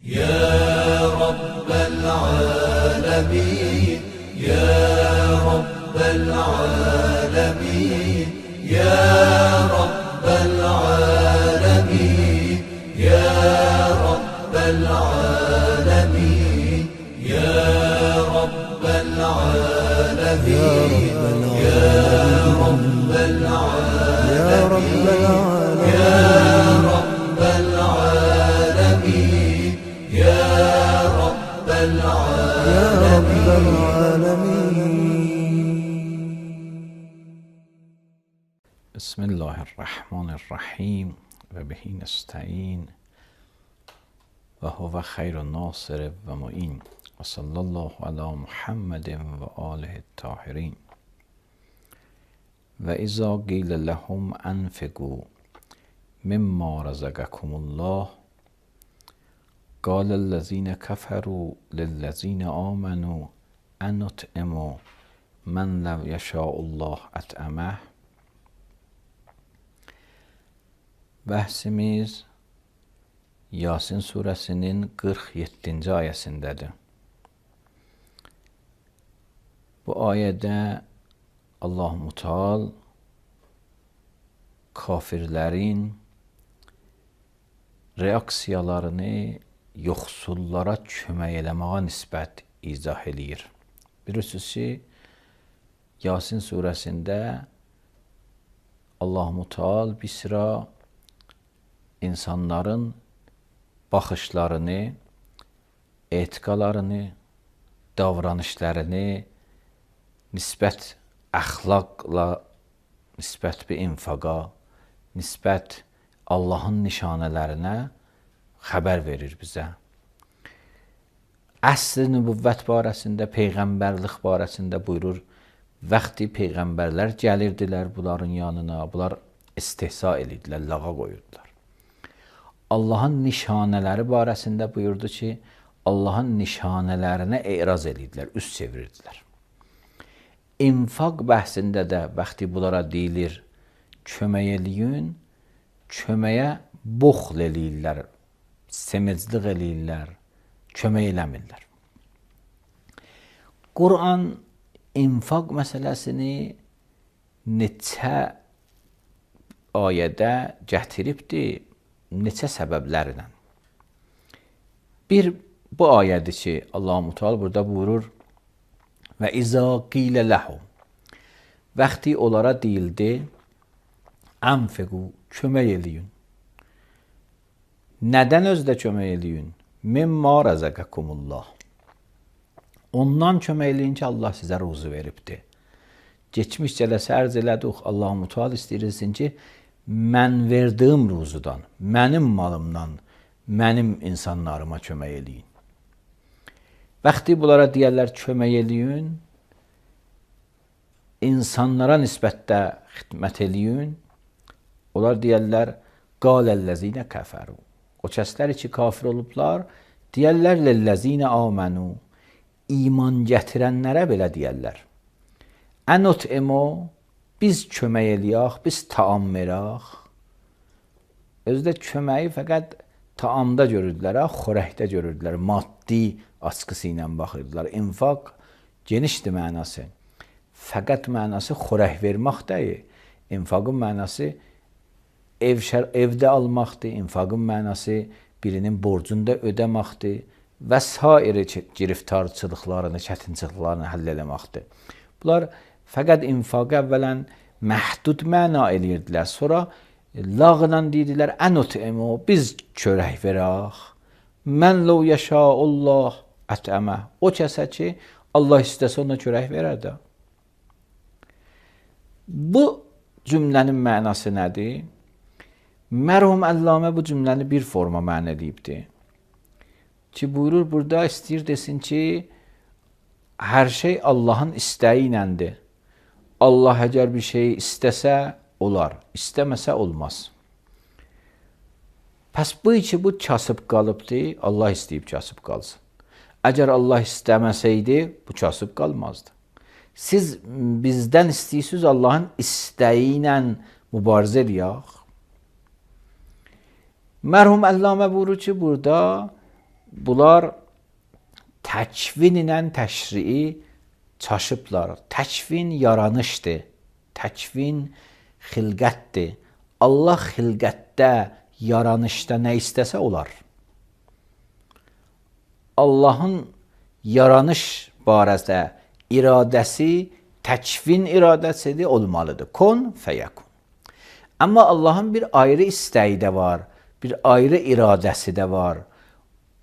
يا رب العالمين يا رب العالمين يا رب العالمين يا رب العالمين يا رب العالمين يا رب العالمين يا رب العالمين يا رب العالمين. بسم الله الرحمن الرحیم و بهی نستعین و هو خیر ناصر و معین و صلی الله علی محمد و آله الطاهرین. و اذا قیل لهم انفقوا مما رزقکم الله قال الذين كفروا للذين آمنوا انطعم من لو یشاء الله اطعمه. Bəhsimiz Yasin surəsinin 47-ci ayəsindədir. Bu ayədə Allah-u Teala kafirlərin reaksiyalarını yoxsullara kömək eləməyə nisbət izah eləyir. Bilirsiniz ki, Yasin surəsində Allah-u Teala bir sıra insanların baxışlarını, etiqalarını, davranışlarını nisbət əxlaqla, nisbət bir infaqa, nisbət Allahın nişanələrinə xəbər verir bizə. Əsr nübüvvət barəsində, peyğəmbərlik barəsində buyurur, vaxtı peyğəmbərlər gəlirdilər bunların yanına, bunlar istehza edirdilər, lağa qoyurdular. Allahın nişanələri barəsində buyurdu ki, Allahın nişanələrinə e'raz edirdilər, üst çevirirdilər. İnfaq bəhsində də vaxtı bunlara deyilir, kömək eləyin, köməyə buxl eləyirlər, semizlik eləyirlər, kömək eləmirlər. Quran infaq məsələsini neçə ayədə gətiribdir, neçə səbəblərlə. Bir, bu ayədir ki, Allah-u Teala burada buyurur, və izə qilə ləhum, vaxtı onlara deyildi, ənfiqu, kömək eləyin. Nədən özdə kömək eləyin? Mimma rəzəqəkumullah. Ondan kömək eləyin ki, Allah sizə ruzu veribdir. Geçmiş cələsə ərz elədik, Allah-u Teala istəyirsin ki, mən verdiyim ruzudan, mənim malımdan, mənim insanlarıma kömək eləyin. Vaxtı bunlara deyərlər kömək eləyin, insanlara nisbətdə xidmət eləyin, onlar deyərlər qaləl-ləzinə kəfəru. O kəslər ki, kafir olublar, deyərlər ləl-ləzinə amənu, iman gətirənlərə belə deyərlər. Ənut'imu, biz kömək eləyək, biz taam verək. Özdə köməyi fəqət taamda görürdülər, xörəkdə görürdülər, maddi askısı ilə baxırdılar. İnfaq genişdir mənası. Fəqət mənası xörək vermək deyil. İnfaqın mənası evdə almaqdır, infaqın mənası birinin borcunda ödəməkdir və sair giriftarçılıqlarını, çətinçılıqlarını həll eləməkdir. Bunlar fəqət infaqı əvvələn məhdud məna eləyirdilər. Sonra lağla deyirdilər, ənut'imu, biz çörək verək. Mən ləv yəşəullah ətəmə. O kəsə ki, Allah istəsə ona çörək verər də. Bu cümlənin mənası nədir? Mərhum Əllamə bu cümləni bir forma mənə deyibdir. Ki, buyurur, burada istəyir desin ki, hər şey Allahın istəyi iləndir. Allah əgər bir şey istəsə, olar. İstəməsə, olmaz. Pəs bu ki, bu kasıb qalıbdır, Allah istəyib kasıb qalsın. Əgər Allah istəməsəydi, bu kasıb qalmazdı. Siz bizdən istəyirsiniz Allahın istəyi ilə mübarizə eləyək. Mərhum Əllamə buyurur ki, burada bunlar təkvin ilə təşrii çaşıblar. Təkvin yaranışdır. Təkvin xilqətdir. Allah xilqətdə, yaranışda nə istəsə olar. Allahın yaranış barədə iradəsi təkvin iradəsidir, olmalıdır. Kun fəyəkun. Amma Allahın bir ayrı istəyi də var, bir ayrı iradəsi də var.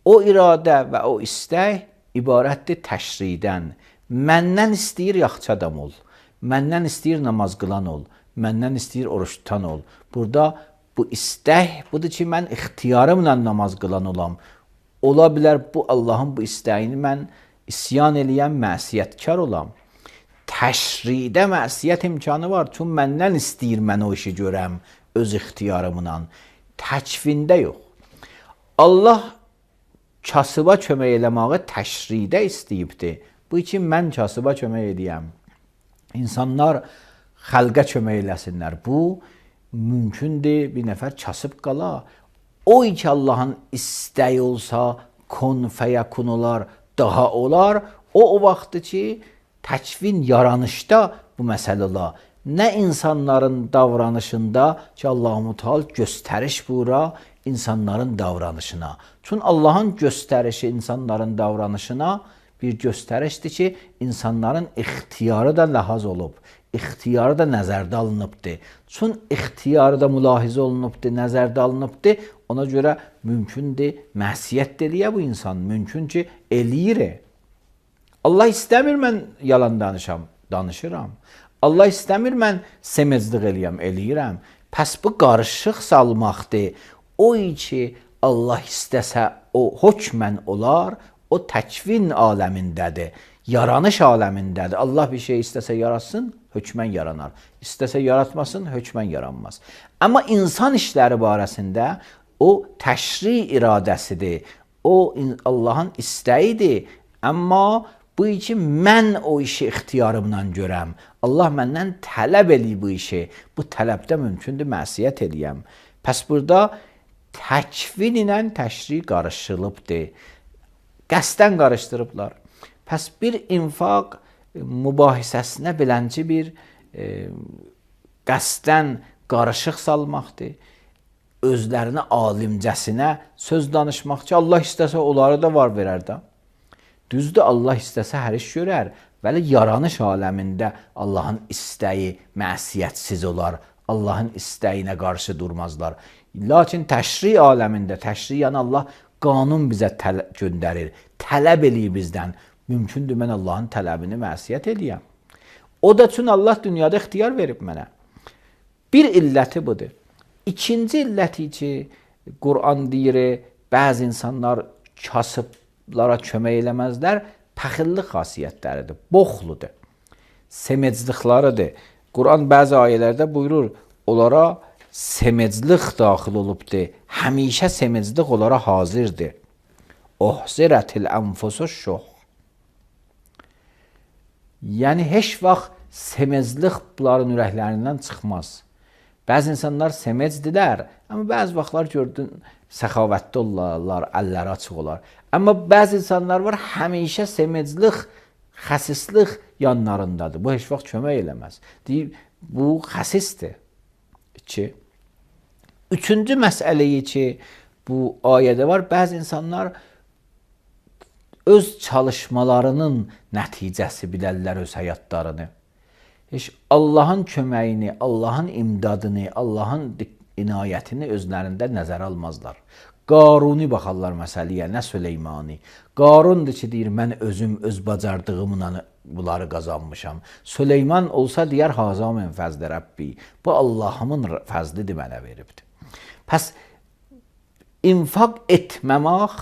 O iradə və o istək ibarətdir təşridən. Məndən istəyir yaxşı adam ol. Məndən istəyir namaz qılan ol. Məndən istəyir oruç tutan ol. Burada bu istək budur ki, mən ixtiyarımla namaz qılan olam. Ola bilər bu Allahın bu istəyini mən isyan eləyən məsiyyətkar olam. Təşridə məsiyyət imkanı var. Çünki məndən istəyir mən o işi görəm öz ixtiyarımla. Təkvində yox. Allah kasıba kömək eləməyi təşridə istəyibdir. Bu üçün mən kasıba kömək edəyəm. İnsanlar xəlqə kömək eləsinlər. Bu mümkündür, bir nəfər kasıb qala. O ki Allahın istəyi olsa, kun fəyəkun olar, daha olar. O vaxtdır ki, təkvin yaranışda bu məsələ olar. Nə insanların davranışında ki, Allah-u Teala göstəriş buyura insanların davranışına. Çünki Allahın göstərişi insanların davranışına bir göstərişdir ki, insanların ixtiyarı da ləhaz olub, ixtiyarı da nəzərdə alınıbdır. Çünki ixtiyarı da mülahizə olunubdur, nəzərdə alınıbdır. Ona görə mümkündür, məsiyyət eləyə bu insan, mümkün ki, eləyir. Allah istəmir mən yalan danışıram. Allah istəmir mən semezlik eləyirəm. Pəs bu qarışıq salmaqdır. O ki, Allah istəsə o hökmən olar, o təkvin aləmindədir, yaranış aləmindədir. Allah bir şey istəsə yaratsın, hökmən yaranar. İstəsə yaratmasın, hökmən yaranmaz. Amma insan işləri barəsində o təşri iradəsidir. O Allahın istəyidir. Amma bu için mən o işi ixtiyarımla görəm. Allah məndən tələb eləyir bu işi. Bu tələbdə mümkündür məsiyyət eləyəm. Pəs burada təkvin ilə təşri qarışılıbdır. Qəsdən qarışdırıblar. Pəs bir infaq mübahisəsinə bilənci bir qəsdən qarışıq salmaqdır. Özlərinə alimcəsinə söz danışmaq ki, Allah istəsə onları da var verər də. Düzdür, Allah istəsə hər iş görər. Vəli yaranış aləmində Allahın istəyi məsiyyətsiz olar. Allahın istəyinə qarşı durmazlar. Lakin təşri aləmində, təşri yəni Allah qanun bizə göndərir. Tələb eləyir bizdən. Mümkündür mən Allahın tələbini məsiyyət eləyəm. O da üçün Allah dünyada ixtiyar verib mənə. Bir illəti budur. İkinci illəti ki, Quran deyir, bəzi insanlar kasıblara kömək eləməzlər, pəxillik xasiyyətləridir, boxludur, semecliklarıdır. Quran bəzi ayələrdə buyurur, onlara semeclik daxil olubdur, həmişə semeclik onlara hazırdır. Ohzirətil ənfusu şuh. Yəni, heç vaxt semeclik bunların ürəklərindən çıxmaz. Bəzi insanlar semecdirlər, amma bəzi vaxtlar gördün, səxavətli olarlar, əlləri açıq olar. Amma bəzi insanlar var, həmişə semeclik, xəsislik yanlarındadır. Bu heç vaxt kömək eləməz. Deyib, bu xəsisdir. Üçüncü məsələyi ki, bu ayədə var, bəzi insanlar öz çalışmalarının nəticəsi bilərlər öz həyatlarını. Heç Allahın köməyini, Allahın imdadını, Allahın inayətini özlərində nəzərə almazlar. Qaruni baxarlar məsələyə, nə Süleymani. Qarundur ki, deyir, mən özüm öz bacardığımla bunları qazanmışam. Süleyman olsa deyər, haza min fəzli Rəbbi. Bu Allahımın fəzlidir mənə veribdir. Pəs, infaq etməmək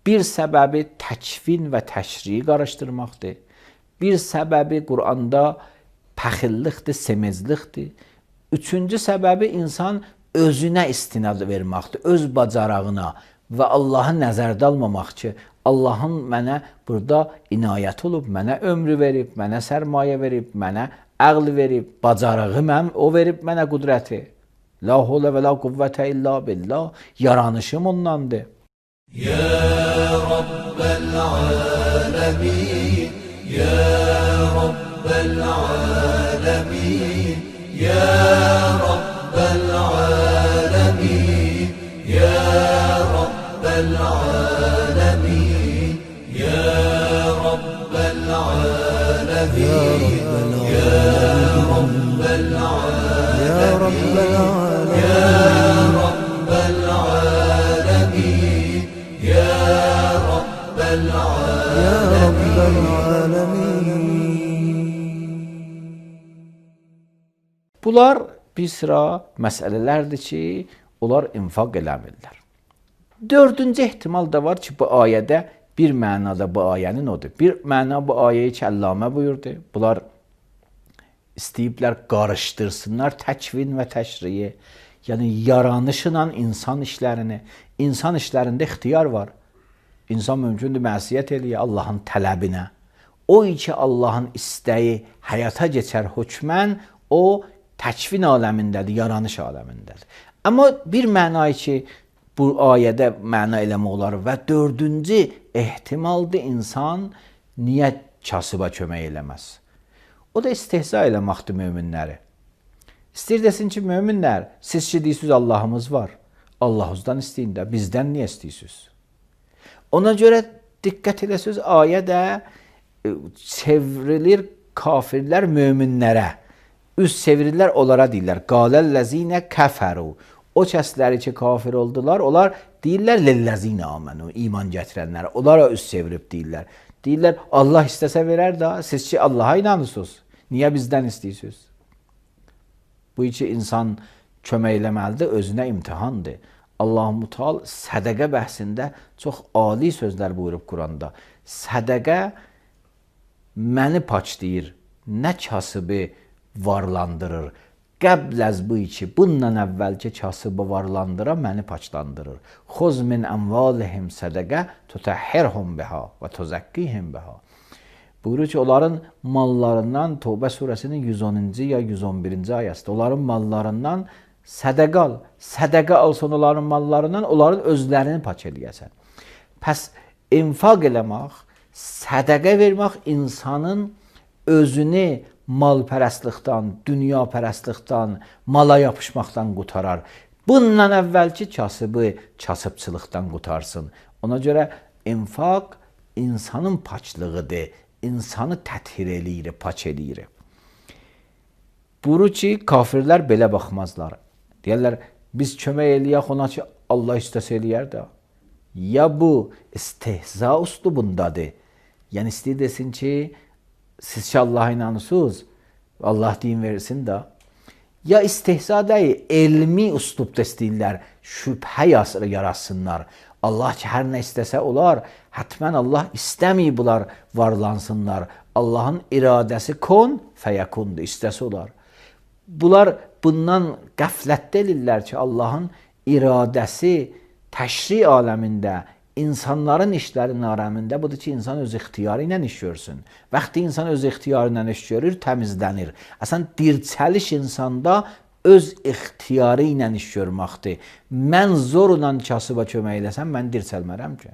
bir səbəbi təkvin və təşriyi qarışdırmaqdır. Bir səbəbi Quranda pəxillikdir, semezlikdir. Üçüncü səbəbi insan özünə istinad verməkdir, öz bacarağına və Allahı nəzərdə almamaq ki, Allahın mənə burada inayət olub, mənə ömrü verib, mənə sərmayə verib, mənə əql verib, bacarağı mən, o verib mənə qudrəti. La havlə və la quvvətə illa billah, yaranışım ondandır. Ya رب العالمين يا رب العالمين يا رب العالمين يا رب العالمين يا رب العالمين يا رب العالمين يا رب العالمين يا رب العالمين يا رب العالمين. Bunlar bir sıra məsələlərdir ki, onlar infaq eləmirlər. Dördüncü ehtimal da var ki, bu ayədə bir mənada bu ayənin odur. Bir məna bu ayəyi ki, Əllamə buyurdu. Bunlar istəyiblər qarışdırsınlar təkvin və təşriyi. Yəni, yaranışla insan işlərini. İnsan işlərində ixtiyar var. İnsan mümkündür məsiyyət eləyə Allahın tələbinə. O ki, Allahın istəyi həyata keçər hökmən, o təkvin aləmindədir, yaranış aləmindədir. Amma bir mənayı ki, bu ayədə məna eləmək olar və dördüncü ehtimaldır, insan niyə kasıba kömək eləməz? O da istehza eləməkdir möminləri. İstəyir desin ki, möminlər, siz ki deyirsiniz Allahımız var. Allahınızdan istəyin də, bizdən niyə istəyirsiniz? Ona görə diqqət edəsiniz, ayədə çevrilir kafirlər möminlərə. Üz çevirirlər, onlara deyirlər. Qaləl-ləzinə kəfəru. O kəsləri ki, kafir oldular, onlar deyirlər lilləzinə amənu, iman gətirənlər. Onlara üz çevirib deyirlər. Deyirlər, Allah istəsə verər də, siz ki, Allaha inanırsınız. Niyə bizdən istəyirsiniz? Bu iki insan kömək eləməlidir, özünə imtihandır. Allah-u Teala sədəqə bəhsində çox ali sözlər buyurub Quranda. Sədəqə məni paçlayır, nə kasıbı varlandırır. Qəbləz bu iki, bundan əvvəlki kasıbı varlandıra məni paçlandırır. Xuz min əmvalihim sədəqə tutəhhirhum biha və tuzakkihim biha. Buyurur ki, onların mallarından, Tövbə surəsinin 110-cu ya 111-ci ayəsində, onların mallarından sədəqə al. Sədəqə alsan onların mallarından, onların özlərini paç eləyəsən. Pəs infaq eləmək, sədəqə vermək insanın özünü malpərəstlikdən, dünyapərəstlikdən, mala yapışmaqdan qutarar. Bundan əvvəlki kasıbı kasıbçılıqdan qutarsın. Ona görə infaq insanın paçlığıdır, insanı təthir eləyir, paç eləyir. Buyurur ki, kafirlər belə baxmazlar. Deyərlər, biz kömək eləyək ona ki, Allah istəsə eləyər də. Ya bu istehza üslubundadır. Yəni istəyir desin ki, siz ki Allah'a inanırsınız, Allah din versin də. Ya istehza deyil, elmi üslubda istəyirlər, şübhə yaratsınlar. Allah ki, hər nə istəsə olar, hətmən Allah istəməyib bunlar varlansınlar. Allahın iradəsi kon fəyakundur, istəsə olar. Bunlar bundan qəflətdə edirlər ki, Allahın iradəsi təşri aləmində, insanların işlərinin aləmində budur ki, insan öz ixtiyarı ilə iş görsün. Vaxtı insan öz ixtiyarı ilə iş görür, təmizlənir. Əsən dirçəliş insanda öz ixtiyarı ilə iş görməkdir. Mən zorla kasıba kömək eləsəm, mən dirçəlmərəm ki.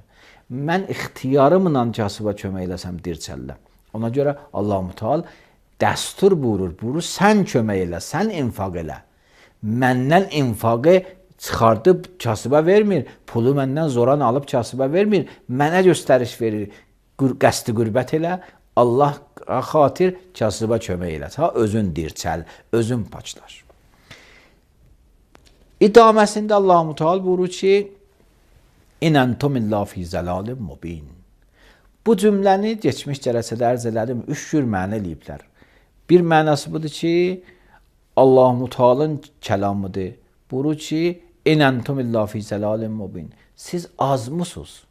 Mən ixtiyarımla kasıba kömək eləsəm, dirçəlləm. Ona görə Allah-u Teala dəstur buyurur, sən kömək elə, sən infaq elə. Məndən infaqı çıxardıb kasıba vermir, pulu məndən zoran alıb kasıba vermir, mənə göstəriş verir, qəsdi qürbət elə, Allah xatir kasıba kömək elə, özün dirçəl, özün paçlar. İdaməsində Allah-u Teala buyurur ki, İnəntum illa fi zəlalim mubin. Bu cümləni geçmiş cələsədə ərz elədim, 3 cür mənə eləyiblər. Bir mənası budur ki, Allah-u Teala'nın kəlamıdır. Buyurur ki, İnəntum illa fi zəlalim mubin. Siz azmısınız.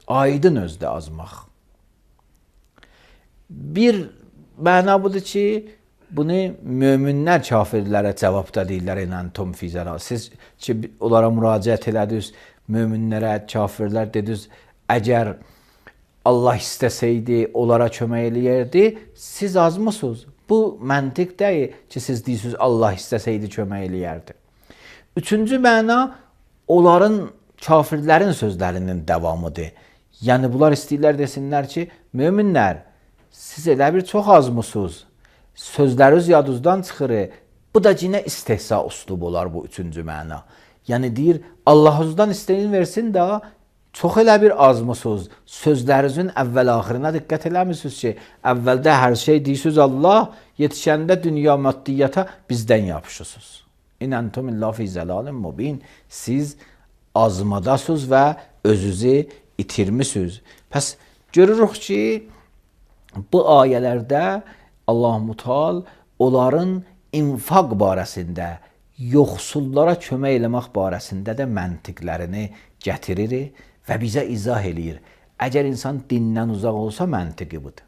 Aydın özdə azmaq. Bir məna budur ki, bunu möminlər kafirlərə cavabda deyirlər, İnəntum fi zəlal. Siz ki, onlara müraciət elədiniz, möminlərə, kafirlər dediniz, əgər Allah istəsəydi, onlara kömək eləyərdi, siz azmısınız. Bu məntiq deyil ki, siz deyirsiniz, Allah istəsəydi, kömək eləyərdi. Üçüncü məna, onların, kafirlərin sözlərinin davamıdır. Yəni bunlar istəyirlər desinlər ki, möminlər, siz elə bir çox azmısınız. Sözləriniz yadınızdan çıxır. Bu da yenə istehza üslubu olar bu üçüncü məna. Yəni deyir, Allahınızdan istəyin versin də, çox elə bir azmısınız. Sözlərinizin əvvəl-axirinə diqqət eləmirsiniz ki, əvvəldə hər şey deyirsiniz Allah, yetişəndə dünya maddiyyata bizdən yapışırsınız. İnəntum illə fi zəlalin mubin. Siz azmadasınız və özünüzü itirmisiniz. Pəs görürük ki, bu ayələrdə Allah-u Teala onların infaq barəsində, yoxsullara kömək eləmək barəsində də məntiqlərini gətirir və bizə izah eləyir. Əgər insan dindən uzaq olsa, məntiqi budur.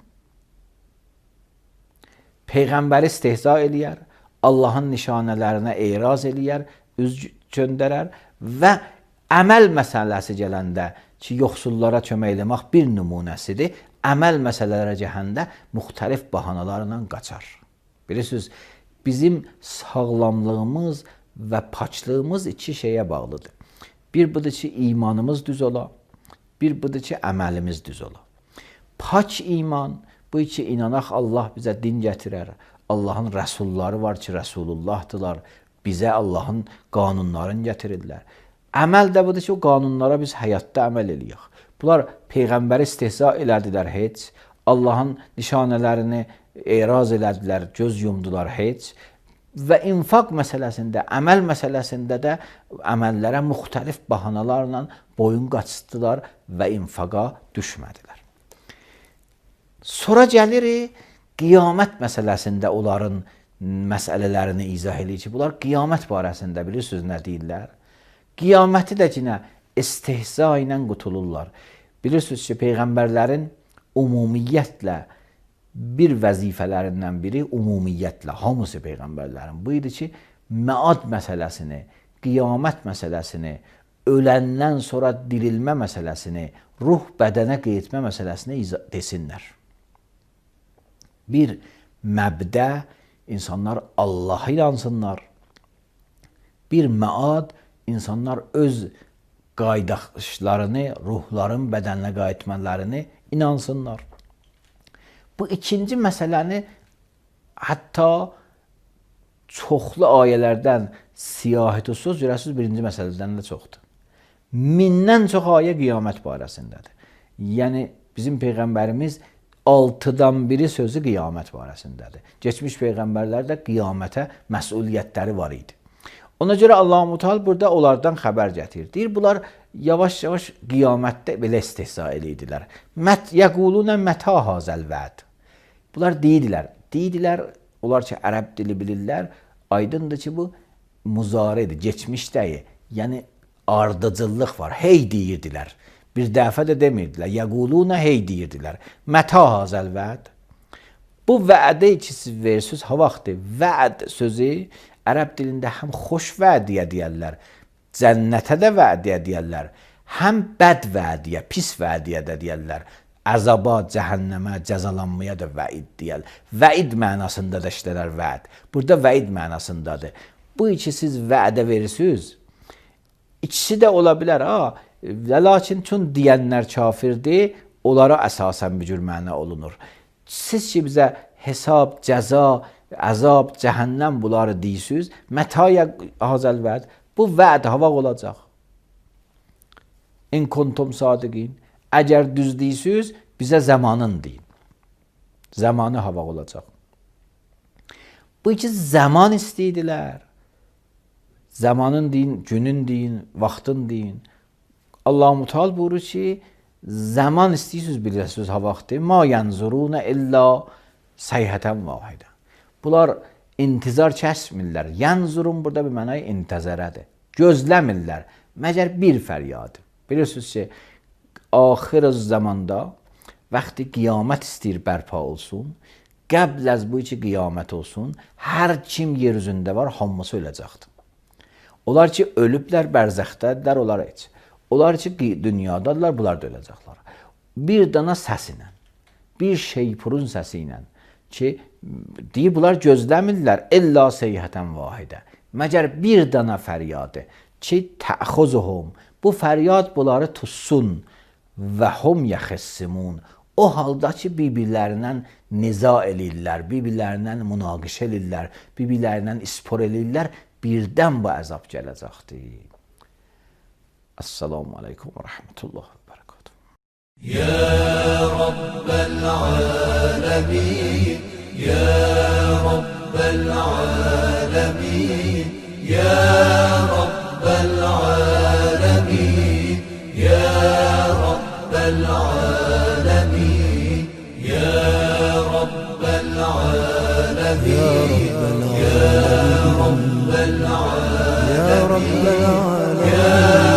Peyğəmbəri istehza eləyər, Allahın nişanələrinə etiraz eləyər, üz göndərər və əməl məsələsi gələndə ki, yoxsullara kömək eləmək bir nümunəsidir, əməl məsələlərə gələndə müxtəlif bahanalarla qaçar. Bilirsiniz, bizim sağlamlığımız və paçlığımız iki şeyə bağlıdır. Bir budur ki, imanımız düz ola, bir budur ki, əməlimiz düz ola. Paç iman, bu iki inanaq Allah bizə din gətirər. Allahın rəsulları var ki, Rəsulullahdılar. Bizə Allahın qanunlarını gətirirlər. Əməl də budur ki, o qanunlara biz həyatda əməl eləyək. Bunlar Peyğəmbəri istehza elədilər heç, Allahın nişanələrini etiraz elədilər, göz yumdular heç və infaq məsələsində, əməl məsələsində də əməllərə müxtəlif bahanalarla boyun qaçırtdılar və infaqa düşmədilər. Sonra gəlir qiyamət məsələsində onların məsələlərini izah edir ki, bunlar qiyamət barəsində bilirsiniz nə deyirlər? Qiyaməti də yenə istehza ilə qutulurlar. Bilirsiniz ki, Peyğəmbərlərin ümumiyyətlə bir vəzifələrindən biri ümumiyyətlə, hamısı Peyğəmbərlərin bu idi ki, məad məsələsini, qiyamət məsələsini, öləndən sonra dirilmə məsələsini, ruh bədənə qayıtma məsələsini desinlər. Bir məbdə insanlar Allah'a inansınlar. Bir məad insanlar öz qaydaşlarını, ruhların bədəninə qayıtmalarını inansınlar. Bu ikinci məsələni hətta çoxlu ayələrdən siyahət olsunuz, görəsiniz birinci məsələdən də çoxdur. Mindən çox ayə qiyamət barəsindədir. Yəni bizim Peyğəmbərimiz 6-dan biri sözü qiyamət barəsindədir. Geçmiş Peyğəmbərlər də qiyamətə məsuliyyətləri var idi. Ona görə Allah-u Teala burada onlardan xəbər gətirir. Deyir, bunlar yavaş-yavaş qiyamətdə belə istehza edirdilər. Yəqulunə mətə hazəl vəd. Bunlar deyidilər, onlar ki, ərəb dili bilirlər, aydındır ki, bu muzaridir, geçmişdəyi, yəni ardıcıllıq var, hey deyirdilər. Bir dəfə də demirdilər, yəqulunə hey deyirdilər. Mətə hazəl vəd. Bu vədə ki, siz verirsiniz, ha vaxtı, vəd sözü ərəb dilində həm xoş vədiyə deyərlər, cənnətə də vədiyə deyərlər, həm bəd vədiyə, pis vədiyə də deyərlər. Əzaba, cəhənnəmə, cəzalanmaya da vəid deyər. Vəid mənasında da işlərər vəd. Burada vəid mənasındadır. Bu iki siz vədə verirsiniz. İkisi də ola bilər. Lakin çün deyənlər kafirdir, onlara əsasən bir cür məna olunur. Siz ki bizə hesab, cəza, əzab, cəhənnəm bunları deyirsiniz. Mətaya hazəl vəd. Bu vəd hava olacaq. İn kuntum sadiqin. Əgər düz deyirsiniz, bizə zamanın deyin. Zamanı hava olacaq. Bu iki zaman istəydilər. Zamanın deyin, günün deyin, vaxtın deyin. Allah-u Teala buyurur ki, zaman istəyirsiniz bilirsiniz ha vaxtı. Ma yanzuruna illa sayhatan vahidə. Bunlar intizar kəsmirlər. Yanzurun burada bir mənayı intizarədir. Gözləmirlər. Məgər bir fəryadı. Bilirsiniz ki, axir zamanda vaxtı qiyamət istəyir bərpa olsun, qəbl az bu iki qiyamət olsun, hər kim yer üzündə var, hamısı öləcəkdir. Onlar ki, ölüblər, bərzəxdədirlər, onlar heç. Onlar ki, dünyadadılar, bunlar da öləcəklər. Bir dana səs ilə, bir şeypurun səsi ilə ki, deyib, bunlar gözləmirlər, illa seyhətən vahidə. Məgər bir dana fəryadı ki, təxuzuhum, bu fəryad bunları tutsun və hum yaxessimun. O halda ki, bir-birlərindən niza eləyirlər, bir-birlərindən münaqişə eləyirlər, bir-birlərindən ispor eləyirlər, birdən bu əzab gələcəkdir. Assalamu aleykum və rəhmətullah və bərəkatuhu. يا رب العالمين يا رب العالمين يا رب العالمين يا رب العالمين يا رب العالمين يا رب العالمين يا رب العالمين يا